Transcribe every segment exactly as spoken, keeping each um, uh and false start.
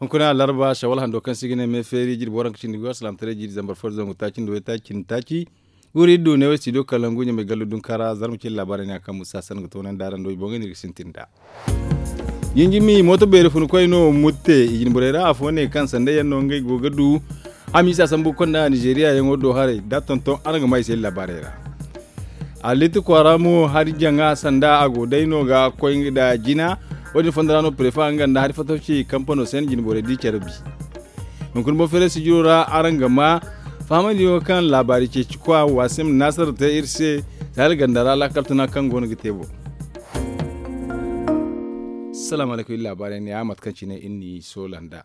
Hunkuna larba shawal hando kaŋ se i ga ne me feeri jirbi waranka cindi go alsilaamataray jiiri zambar fo da zangu taaci nda waytaaci cindi taaci. Guuri iri du ne wo studio kalangu ɲamay gallu dunka ra zarma cindi laabaarey ne a kaŋ musa sanda ga toonandi araŋ do i boŋey no iri ga sintin nd'a. Jinjimi mooto beeri funkoy no mutte i jinborey ra afo ne kaŋ sanda yaŋ no ngey go ga du. Hamiisa sambu ga konda nizeeriya yaŋo do haray da tonton araŋ ga ma i se laabaarey ra. Allitti kwaara mo hari jaŋa sanda a go day no ga koy nda jina. Wo- din fondo ra no prefa nga nda hari fatawci kampano se ni jinborey di care bi. Hunkuna boŋ feeray sijiro ra araŋ ga ma fahamandi yaŋo kaŋ laabaari ceeci kwa wasim nasar te iri se. Sahel ganda ra laakal tuna kaŋ go no ga te boŋ. Salaamu alaykum iri laabaarey ne ya mate kaŋ cine iri n'i soola nd'a.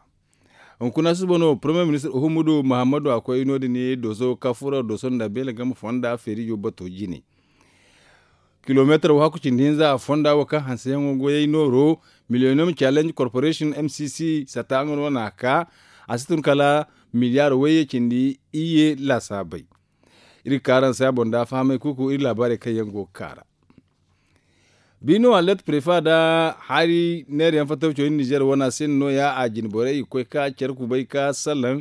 Hunkuna susubo no premier ministir uhumudu muhammadu a koy no- din dooso kaŋ furo dooso nda beele game fonda feerijo bato jine. Kilomeetar wo hakku cindi hinza a fonda wo kaŋ hanseyaŋo goyey nooro miliyoniyom challenge corporation m c c satta nga no n'a ka. A si tun kala miliyaar wayye cindi iyye laasaabey. Iri ga ka araŋ se a boŋ da fahamay kuuku iri laabaarey kaŋ yaŋ go ga ka ra. Biino allet prefa nda hari neera yaŋ fattaw cawandi nizer wane se no- ya a jine borey i ga koy ka care kubay ka salaŋ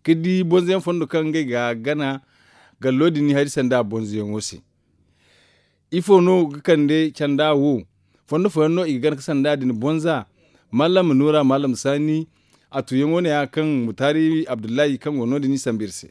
ka di bonzo yaŋ fondo kaŋ ngey ga a gana. Gallo din ni hari sanda bonzo yaŋo se. Ifo no ga kande canda wo? Fondo fooyaŋ no i ga gana ga sanda din bonza. Mallam nuura mallam saani a tuyaŋo ne- ya kaŋ mutaari abdullahi kaŋ go no- din i sambu iri se.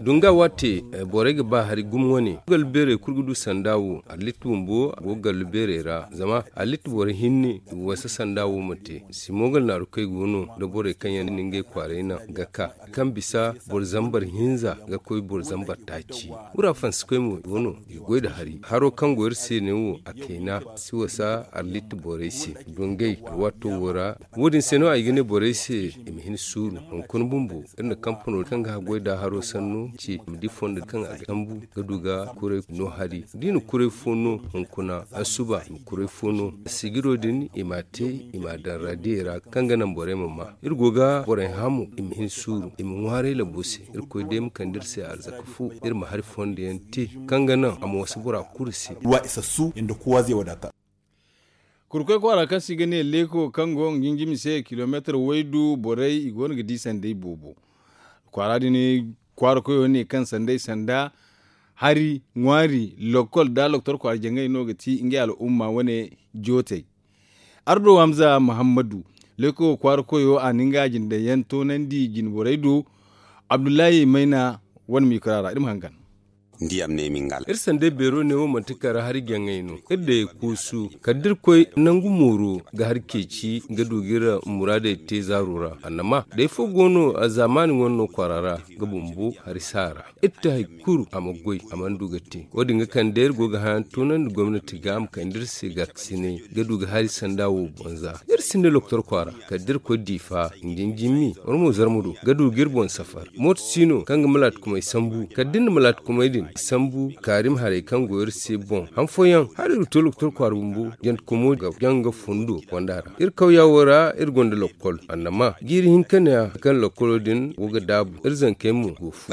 Dunga waate borey ga ba hari gumo wane gallu beerey kulu ga du sanda wo allitti bumbo go gallu beerey ra zama allitti boro hinne i wasa sanda wo ma te. Simogal naaru kaŋ ay go no da borey kaŋ yaŋ na ngey kwaaray naŋ ga ka kaŋ bisa boro zambar hinza ga koy boro zambar taaci. Wura fansi koy mo go no i goy nda hari haro kaŋ go iri se ne wo a kayna si wasa allitti borey se. Dungay alwaato wo ra wo- din se no ay ga ne borey se i ma hin suuru hunkuna bumbo iri na kampano kaŋ ga haggoy nda haro sanno ce i ma di fondo kaŋ a ga sambu ga du ga kuray no hari da i na kuray fo no hunkuna asuba i ma kuray fo no sigiro din i m'a te i m'a daŋ raadiyey ra kaŋ ga naŋ borey ma ma iri go ga borey hã mo i ma hin suuru i ma ŋwaaray labo se. Irkoy day ma kande iri se arzaka fo iri ma hari fondo yaŋ te kaŋ ga naŋ a ma wasa bora kulu se. Ruwa isassu inda kowa zai wadata. Kurkoy kwaara kaŋ se i ga ne leeko kaŋ go nga jinjimi se kilomeetar waydu borey i go no ga di sanday boobo. Kwaara din kwaara koyo ne kaŋ sanday sanda hari ŋwaari lokol nda loktor kwaara jaŋay no ga ti ngey al'umma wane jootey. Ardo hamza muhammadu leeko kwaara koyo a na nga jinday yaŋ toonandi jine borey do. Abdullahi mayna wane miikura ra iri ma hangan. Iri sanday beero ne wo manti kara hari jaŋay no iri day kuusu kala da iri koy nangu mooro ga hari ceeci ga du ga iri muraadey te zaaro ra annama day fo go no zaamaani wane no kwaara ra ga bumbo hari saara. Iri te hari kulu a ma goy a mana du ga te wo- din ga kande iri go ga hayan toonandi gomnati ga a ma kande iri se gaakasinay ga du ga hari sanda wo bonza iri sinda loktor kwaara kala da iri koy diifa nga jinjimi war mo zarma do ga du ga iri boŋ safar mooto si no kaŋ ga malaatikumey sambu kala da iri na malaatikumey din sambu kaari ma haray kaŋ go iri se boŋ han fooyaŋ hala iri ga to loktor kwaara bumbo jantakumo ga jaŋ ga fundo fonda ra iri kawya wo ra iri gonda lokol annama jiiri hinka ne ya kaŋ lokolo din go ga daabu iri zankey mo go fu.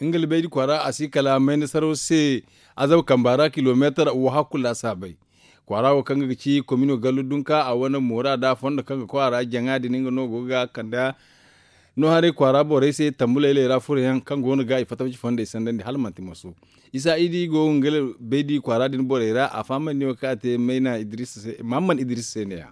Nga libaydi kwaara a si kala mayna saraw se azaba kamba ra kilomeetar wo hakku laasaabay. Kwaara wo kaŋ ga ci komino gallu dunka a wane moora da fondo kaŋ ga koy a ra jaŋa din nga no go ga kanda no haray kwaara borey se tambu laylay ra furo yaŋ kaŋ go no ga i fatta faci fondey sandandi hala manti maso. Isa idi go nga baydi kwaara din borey ra a fahamandi wo kaŋ a te mayna idris se muhammad idris se ne ya.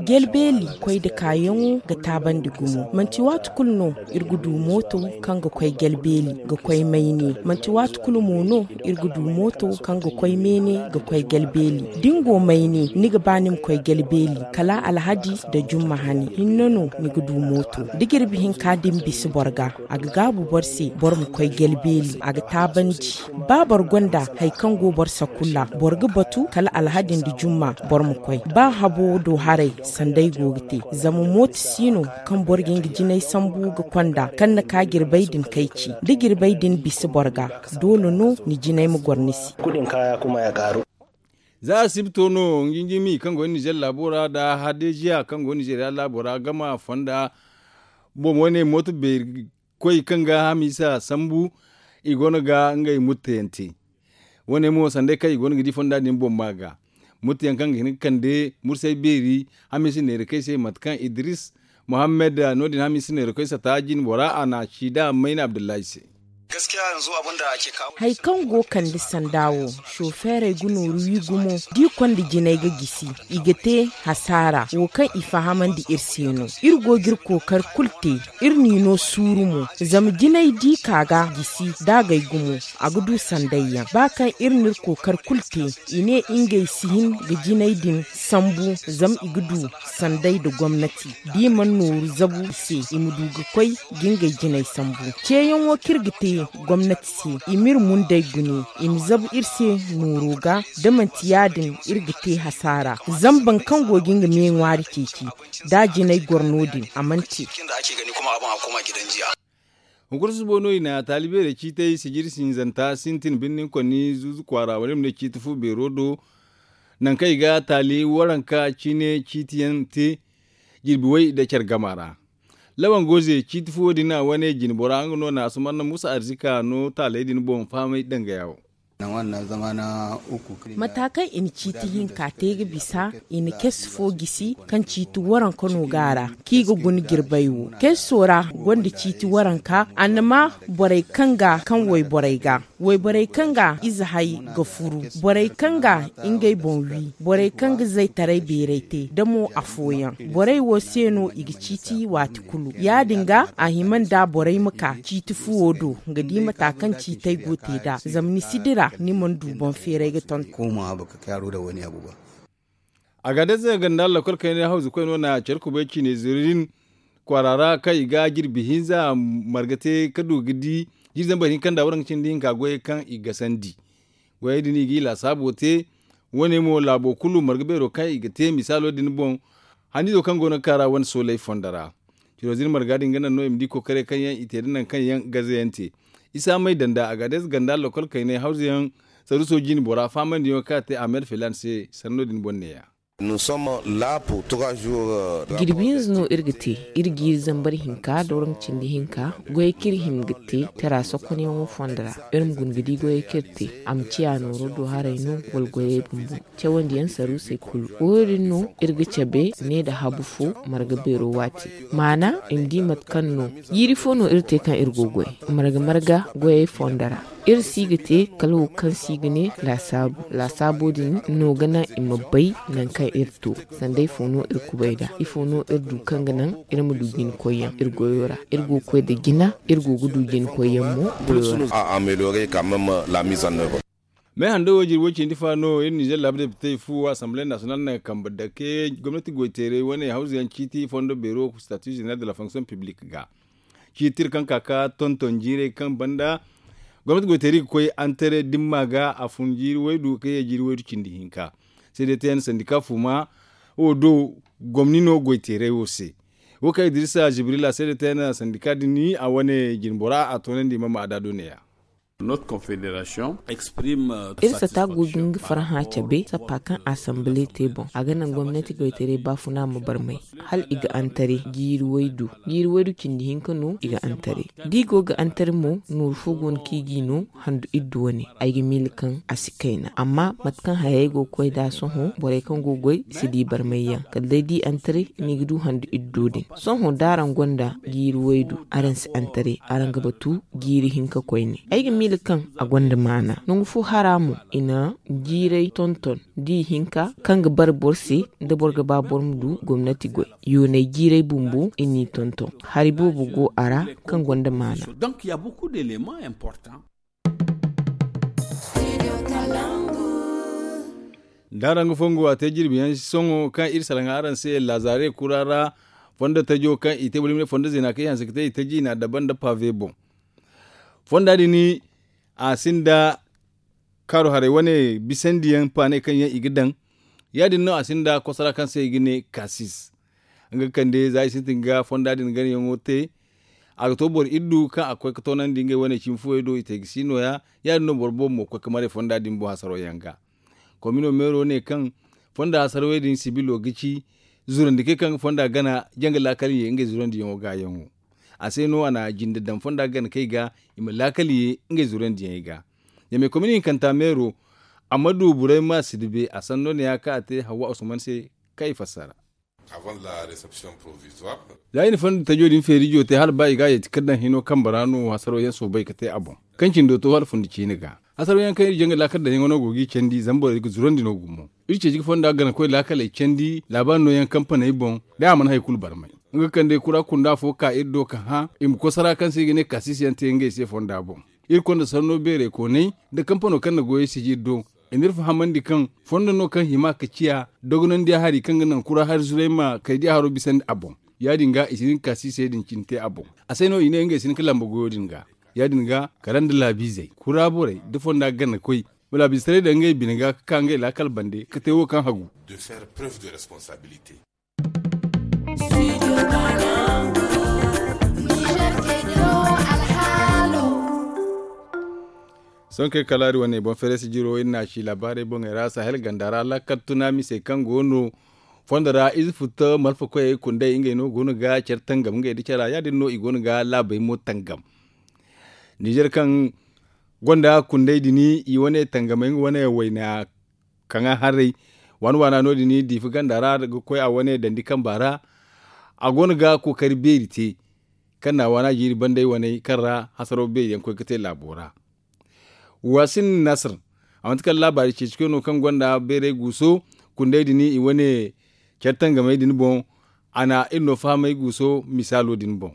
Gelbeeli koy nda kaayaŋo ga taabandi gumo manti waati kulu no iri ga du mooto kaŋ ga koy gelbeeli ga koy mayne manti waati kulu mo no iri ga du mooto kaŋ ga koy meene ga koy gelbeeli da ni go mayne ni ga ba ni ma koy gelbeeli kala alhadi nda jumma hane hinne no ni ga du mooto da jirbi hinka din bisa boro ga a ga gaabu boro se boro ma koy gelbeeli a ga taabandi. Ba boro gonda hari kaŋ go boro sakulla boro ga batu kala alhadi nda jumma boro ma koy ba habo do haray sanday go ga te zama mooto si no kaŋ boro ga nga jinay sambu ga konda kaŋ ni ka jirbay din kayci da jirbay din bisa boro ga doole no ni jinay ma goro ni se. Za a sibto no nga jinjimi kaŋ go nizer laabo ra nda hadeziya kaŋ go nizeriya laabo ra gama fonda boŋ wane mooto beeri koy kaŋ ga hamiisa sambu i go no ga ngey mutteyaŋ te. Wo- ne mo sanday kaŋ i go no ga di fonda din boŋ ma ga murti yaŋ kaŋ ga hin ga kande mursay beeri, hamiisi neera kaŋ i se mate kaŋ idris muhammad no- din hamiisi neera kaŋ i sata jine bora a na a ci da mayna abdullahi se. Hari kaŋ go kande sanda wo, sofeerey ga nooru wi gumo da i konda jinay ga gisi, i ga te hasaara wo kaŋ i fahamandi iri se no. Iri go ga iri kookari kulu te, iri n'i no suuru mo. Zama jinay da i ka ga gisi da agay gumo, a ga du sanday yaŋ ba kaŋ iri n'iri kookari kulu te. I ne ngey si hin ga jinay din sambu, zama i ga du sanday nda gomnati da i mana nooru zabu i se, i ma du ga koy ga ngey jinay sambu. Ceeyaŋo kaŋ iri ga te gomnati se, i m'iri mundey gune, i ma zabu iri se nooro ga. Da manti ya- din, iri ga te hasaara. Zama boro kaŋ go ga nga me ŋwaari ceeci, da a jinay goro no- din, a mana te. Hunkuna susubo no i na taali beerey ciitay sijiri sinzanta sintin birnin konni zuuzu kwaara wala i ma ne ciiti fu beero do, nangu kaŋ i ga taali waranka ciine ciiti yaŋ te jirbi way nda care gama ra. Lawan goze ciiti fuwo din a wane jine bora nga no na asumanna musa arzika no taaley din boŋ fahamay dangaya wo. Mata kaŋ i na ciiti hinka te ga bisa, i na kes fo gisi kaŋ ciiti waranka no ga a ra, kaŋ i ga guna jirbay wo keso ra, gonda ciiti waranka annama borey kaŋ ga kaŋ wayborey ga wayborey kaŋ ga ize hay ga furu, borey kaŋ ga ngey boŋ wi, borey kaŋ ga zaytaray beeray te da mo afooyaŋ. Borey wo se no i ga ciiti waati kulu. Ya- din ga a hima nda borey ma ka ciiti fuwo do ga di mata kaŋ ciitey go te nd'a. Zama ni si dira ni mana du boŋ feeray ga tonton. A ga day se ganda lakkol kaynay hawzu koy no na care kubay ciine zuru din kwaara ra kaŋ i ga jirbi hinza marga te ka du ga di jirbi zambar hinka nda waranka cindi hinka goyey kaŋ i gasandi. Goyey din i ga i laasaabo te. Wo- ne mo laabo kulu marga beero kaŋ i ga te misaalo din boŋ. Hannizo kaŋ go no ga ka ra wane soolay fondo ra. Ciro zin marga din ga naŋ no i ma di kookaray kaŋ yaŋ i te nda nangu kaŋ yaŋ gaze yaŋ te. Isa may danda a ga day se ganda lakkol kaynay hawzu yaŋ saruuso jine bora faamandiyaŋo kaŋ a te ahmed filan se sanno din boŋ neeya. Jirbi hinza no iri ga te. Iri jiiri zambar hinka da waranka cindi hinka goyey kaŋ iri hima ga te tera sokonyaŋo fondo ra. Iri ma guna ga di goyey kaŋ iri te a ma ciya nooro do haray no wala goyey bumbo. Cawandiyaŋ saruusey kulu wo- din no iri ga cabe ne nda habu fo marga beero waati. Maana i ma di mate kaŋ no jiiri fo no iri te kaŋ iri go goy marga marga goyey fondo ra. Iri si ga te kala wo kaŋ si ga ne laasaabu laasaabo din no ga naŋ i ma bay nangu kaŋ iri to. Sanday fo no iri kubay nd'a ifo no iri du kaŋ ga naŋ iri ma du jina koyyaŋ iri goyo ra iri go ga koy nda jina iri go ga du jina koyyaŋ mo goyo ra. Me hando wo jirbi way cindi fa no iri nizer laabu depitey fu asamble nasiyonal naŋ ga kambe dake gomnati goyteeray wane hawzu yaŋ ciiti fondo beero statu zeneral de la fonksiyoŋ piblik ga. Ciiti iri kaŋ ka ga tonton jiirey kaŋ banda gomnati goyteeri ga koy antere dimma ga a fun jiiri waydu kaŋ ye jiiri waydu cindi hinka. Seede te yaŋ sandika fuma wo do gomni no goyteeray wo se. Wo kaŋ idrisa jibrila seede te yaŋ sandika din a wane jine bora a toonandi mama a da do neeya. Iri sata go ga nga farhã cabe sappa kaŋ asamble te boŋ a ga naŋ gomnati goytaray baafuna ma barmay hala i ga antare jiiri waydu jiiri waydu cindi hinka no i ga antare. Da i go ga antare mo nooru fo go no kaŋ i g'i no handu iddu wane ay ga miila kaŋ a si kayna amma mate kaŋ hayey go ga koy nd'a sohõ borey kaŋ go ga goy si di barmayyaŋ kala day da i antare no i ga du handu iddu din. Sohõ da araŋ gonda jiiri waydu araŋ si antare araŋ ga batu jiiri hinka koyne. Ay ga miila kaŋ a gonda maana nangu fo hara mo i na jiiray tonton da i hinka kaŋ ga bare boro se da boro ga ba boro ma du gomnati goy. Yoonay jiiray bumbo i n'i tonton hari boobo go a ra kaŋ gonda maana. Da araŋ ga fongu a te jirbi yaŋ sohõ kaŋ iri salaŋ araŋ se laazare kura ra fondo tajo kaŋ i te boro i ma ne fondo zeena kaŋ i hanse ga te i taji i n'a dabba nda pave boŋ. Fonda din a sinda kaaru haray wane bisandiyaŋ paaney kaŋ yaŋ i ga daŋ. Ya- din no a sinda kosora kaŋ se i ga ne kasis. Nga ga kande za i sintin ga fonda din ganayaŋo te. A ga to boro iddu kaŋ a ga koy ga toonandi ngey wane cimi fuwey do i te ga si nooya. Ya- din no boro boobo mo ga koy ga maray fonda din boŋ hasaro yaŋ ga. Komino meero ne kaŋ fonda hasarawey din sibilo ga ci zurandikey kaŋ ga fonda gana janga laakal ye ngey zurandiyaŋo gaayaŋo. A se no a na jinde daŋ fonda gana kay ga i ma laakal ye ngey zurandiyaŋey ga. Ɲamey komini hinkanta meero, a ma du burey ma si dibe a sanno ne ya kaŋ a te hawwa usman se, kaŋ i fassara. Za i na fondo tajo din feerijo te hala ba i ga a yeeti kaŋ daŋ hino kambe ra no hasaro yaŋ soobay ga te a boŋ. Kaŋ cindo to hala fundi ciine ga hasaro yaŋ kaŋ iri jaŋ ga laakal daŋ yaŋo no go ga i candi zama borey ga zurandi no gumo. Iri ceeci ga fonda ganakoy laakaley candi laabaari no yaŋ kampaney boŋ, day a mana hari kulu barmay. Nga kaŋ day kura kunda fo ka iri do ka hã i ma kosara kaŋ se i ga ne kaasiisi yaŋ te ngey se fonda boŋ. Iri konda sanno beerey koonay, nda kampano kaŋ na goyey siji iri do, i n'iri fahamandi kaŋ fondo no kaŋ hima ka ciya dogonandiya hari kaŋ ga naŋ kura hari zuray ma kaydiya haro bisandi a boŋ. Ya- din ga i si hin ka siisey din cine te a boŋ. A se no i ne ngey si hin ka lamba goyo din ga. Ya- din ga kala nda laabiizey kura borey da fonda ganakoy, ma laabiize taray daŋ ngey bine ga ka ka ngey laakal bande ka te wo kaŋ hagu. Sohõ kaŋ ay kalaari wane boŋ fereesi jiro iri na a ci laabaarey boŋey ra sahel ganda ra laakal tuna misey kaŋ go no fondo ra ize futa malfa koyey kunday ngey no go no ga care tangam ngey nda cara ya- din no i go no ga laabey mo tangam. Nizer kaŋ gonda kunday din i wane tangamey nga wane wayna kaŋ a haray waana waana no- din diifa ganda ra ga koy a wane dandi kamba ra. A go no ga kookari beeri te kaŋ na a waana jiiri banday waney kaŋ ra hasaraw beeri yaŋ koy ga te laabo ra. Waasin nasir a manti kala laabaari ceeci koy no kaŋ gonda beeray guuso kunday din i wane care tangamey din boŋ. A na iri no fahamay guuso misaalo din boŋ.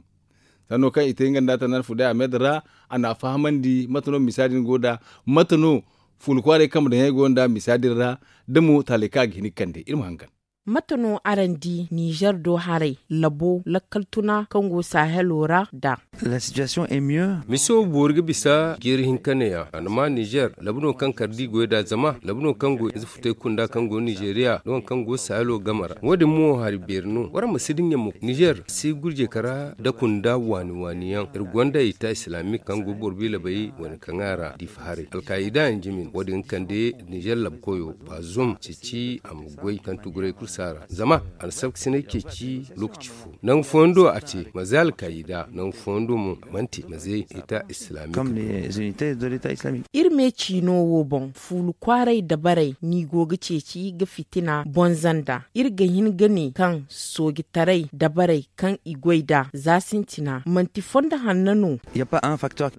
Sanno kaŋ i te nga nda a tana fuday a meeda ra a na a fahamandi mate no misa din go nd'a, mate no fuula kwaaray kambe daŋ yaŋ go nd'a misa din ra, da mo taaley kaŋ a ga hin ga kande iri ma hangan. Mate no araŋ di nizer do haray labo lakkal tuna kaŋ go sahelo ra nd'a? Miso boori ga bisa jiiri hinka neeya a na ma nizer labu no kaŋ kala da i goy nd'a zama labu no kaŋ go ize futay kunda kaŋ go nizeriya da waŋ kaŋ go sahelo game ra wo- din mo hari beeri no waraŋ ma si dinya mo nizer si gurjey kara nda kunda waani waani yaŋ iri gonda ita islamic kaŋ go boro biila bay wane kaŋ a ra diifa haray alkaayida yaŋ jimi no wo- din ga kande nizer labu koyo baazum ceeci a ma goy kaŋ tuguray kulu si a ra zama a na sabkasinay ceeci lookaci fo nangu fooyaŋ do a te manze alkaayida nangu fooyaŋ do mo a mana te manze ita islamic. Iri me ciino wo boŋ fuulu kwaaray dabarey no i go ga ceeci ga fitina bonza nd'a iri ga hin ga ne kaŋ soojitaray dabarey kaŋ i goy nd'a za sintina manti fondo hanno no.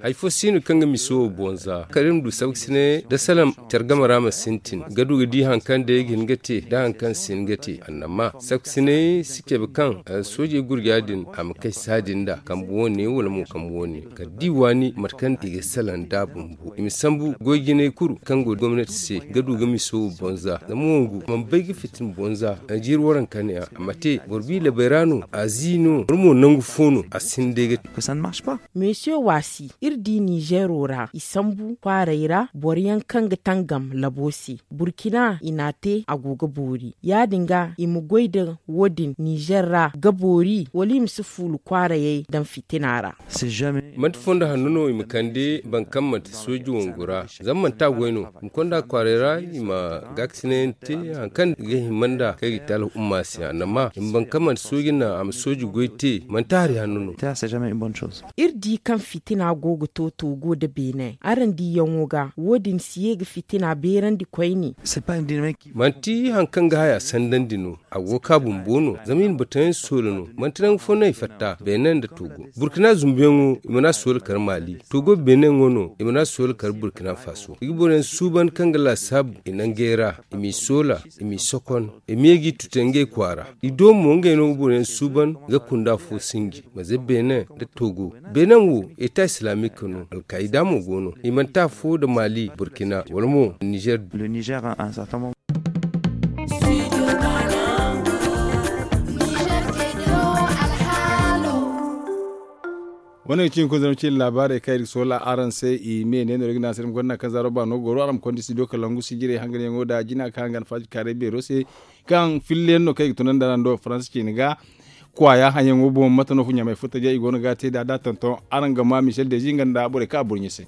Hari fo si no kaŋ ga miso wo bonza kala iri ma du sabkasinay nda salaŋ care game ra ma sintin ga du ga di hari kaŋ day ga hin ga te nda hari kaŋ si hin ga te annama sabkasinay si cabe kaŋ soojey gurja din a ma kay saadin nd'a kambe wane wala mo kambe wane kala da i waani mate kaŋ i ga salaŋ nd'a bumbo i ma sambu goy jinay kulu kaŋ go gomnati se ga du ga miso wo bonza zama wongu mana bay ga fitina bonza a jiiri waranka ne a ma te boro biila bay ra no a zi no boro mo nangu fo no a si hin day ga te. Mesiyo waasi iri di nizero ra i sambu kwaaray ra boro yaŋ kaŋ ga tangam labo se burkina i n'a te a go ga boori ya- din ga i ma goy nda wo- din nizer ra ga boori wala i ma si fuulu kwaarayey daŋ fitina ra? Manti fondo hanno no i ma kande boro kaŋ manti sooji wangu ra zama manti a goy no i ma konda kwaaray ra i ma gaakasinay yaŋ te hari kaŋ ga hima nda kaŋ i ga te alhumma se a nama i ma boro kaŋ manti sooji naŋ a ma sooji goy te manti hari hanno no. Iri di kaŋ fitina go ga to toogo nda beene araŋ diyaŋo ga wo- din si ye ga fitina beerandi koyne. Manti hari kaŋ ga haya sandandi no a go ga ka bumbo no zama i na batayaŋ soola no manti nangu fo no i fatta beene nda toogo burkina zumbuyaŋo i mana soola kar maali toogo beene yaŋo no i mana soola kar burkina faso i ga boroyaŋ suuban kaŋ ga laasaabu i nangey ra i m'i soola i m'i sokon i ma ye g'i tute ngey kwaara i do mo ngey no ga boroyaŋ suuban ga kunda fo sinji manze beene nda toogo beene wo eta islamic no alkaayida mo go no i manti afo nda maali burkina wala mo nizer. Wane ga ci hunkuna zama ciine laabaarey kaŋ iri ga soola araŋ se i me ne no iri ga ne a se iri ma gonda kaŋ zaaro baano goro araŋ ma konda studio kalangu sijirey hanganyaŋo nda jina kaŋ hangan faaji kaaray beero se kaŋ filla yaŋ no kaŋ i ga tunandi araŋ do faransa ciine ga kwaaya haŋyaŋo boŋ mate no fu ɲamay futta jay i go no ga te nd'a da tonton araŋ ga ma michel dezi nga nda borey kaŋ a burɲe se.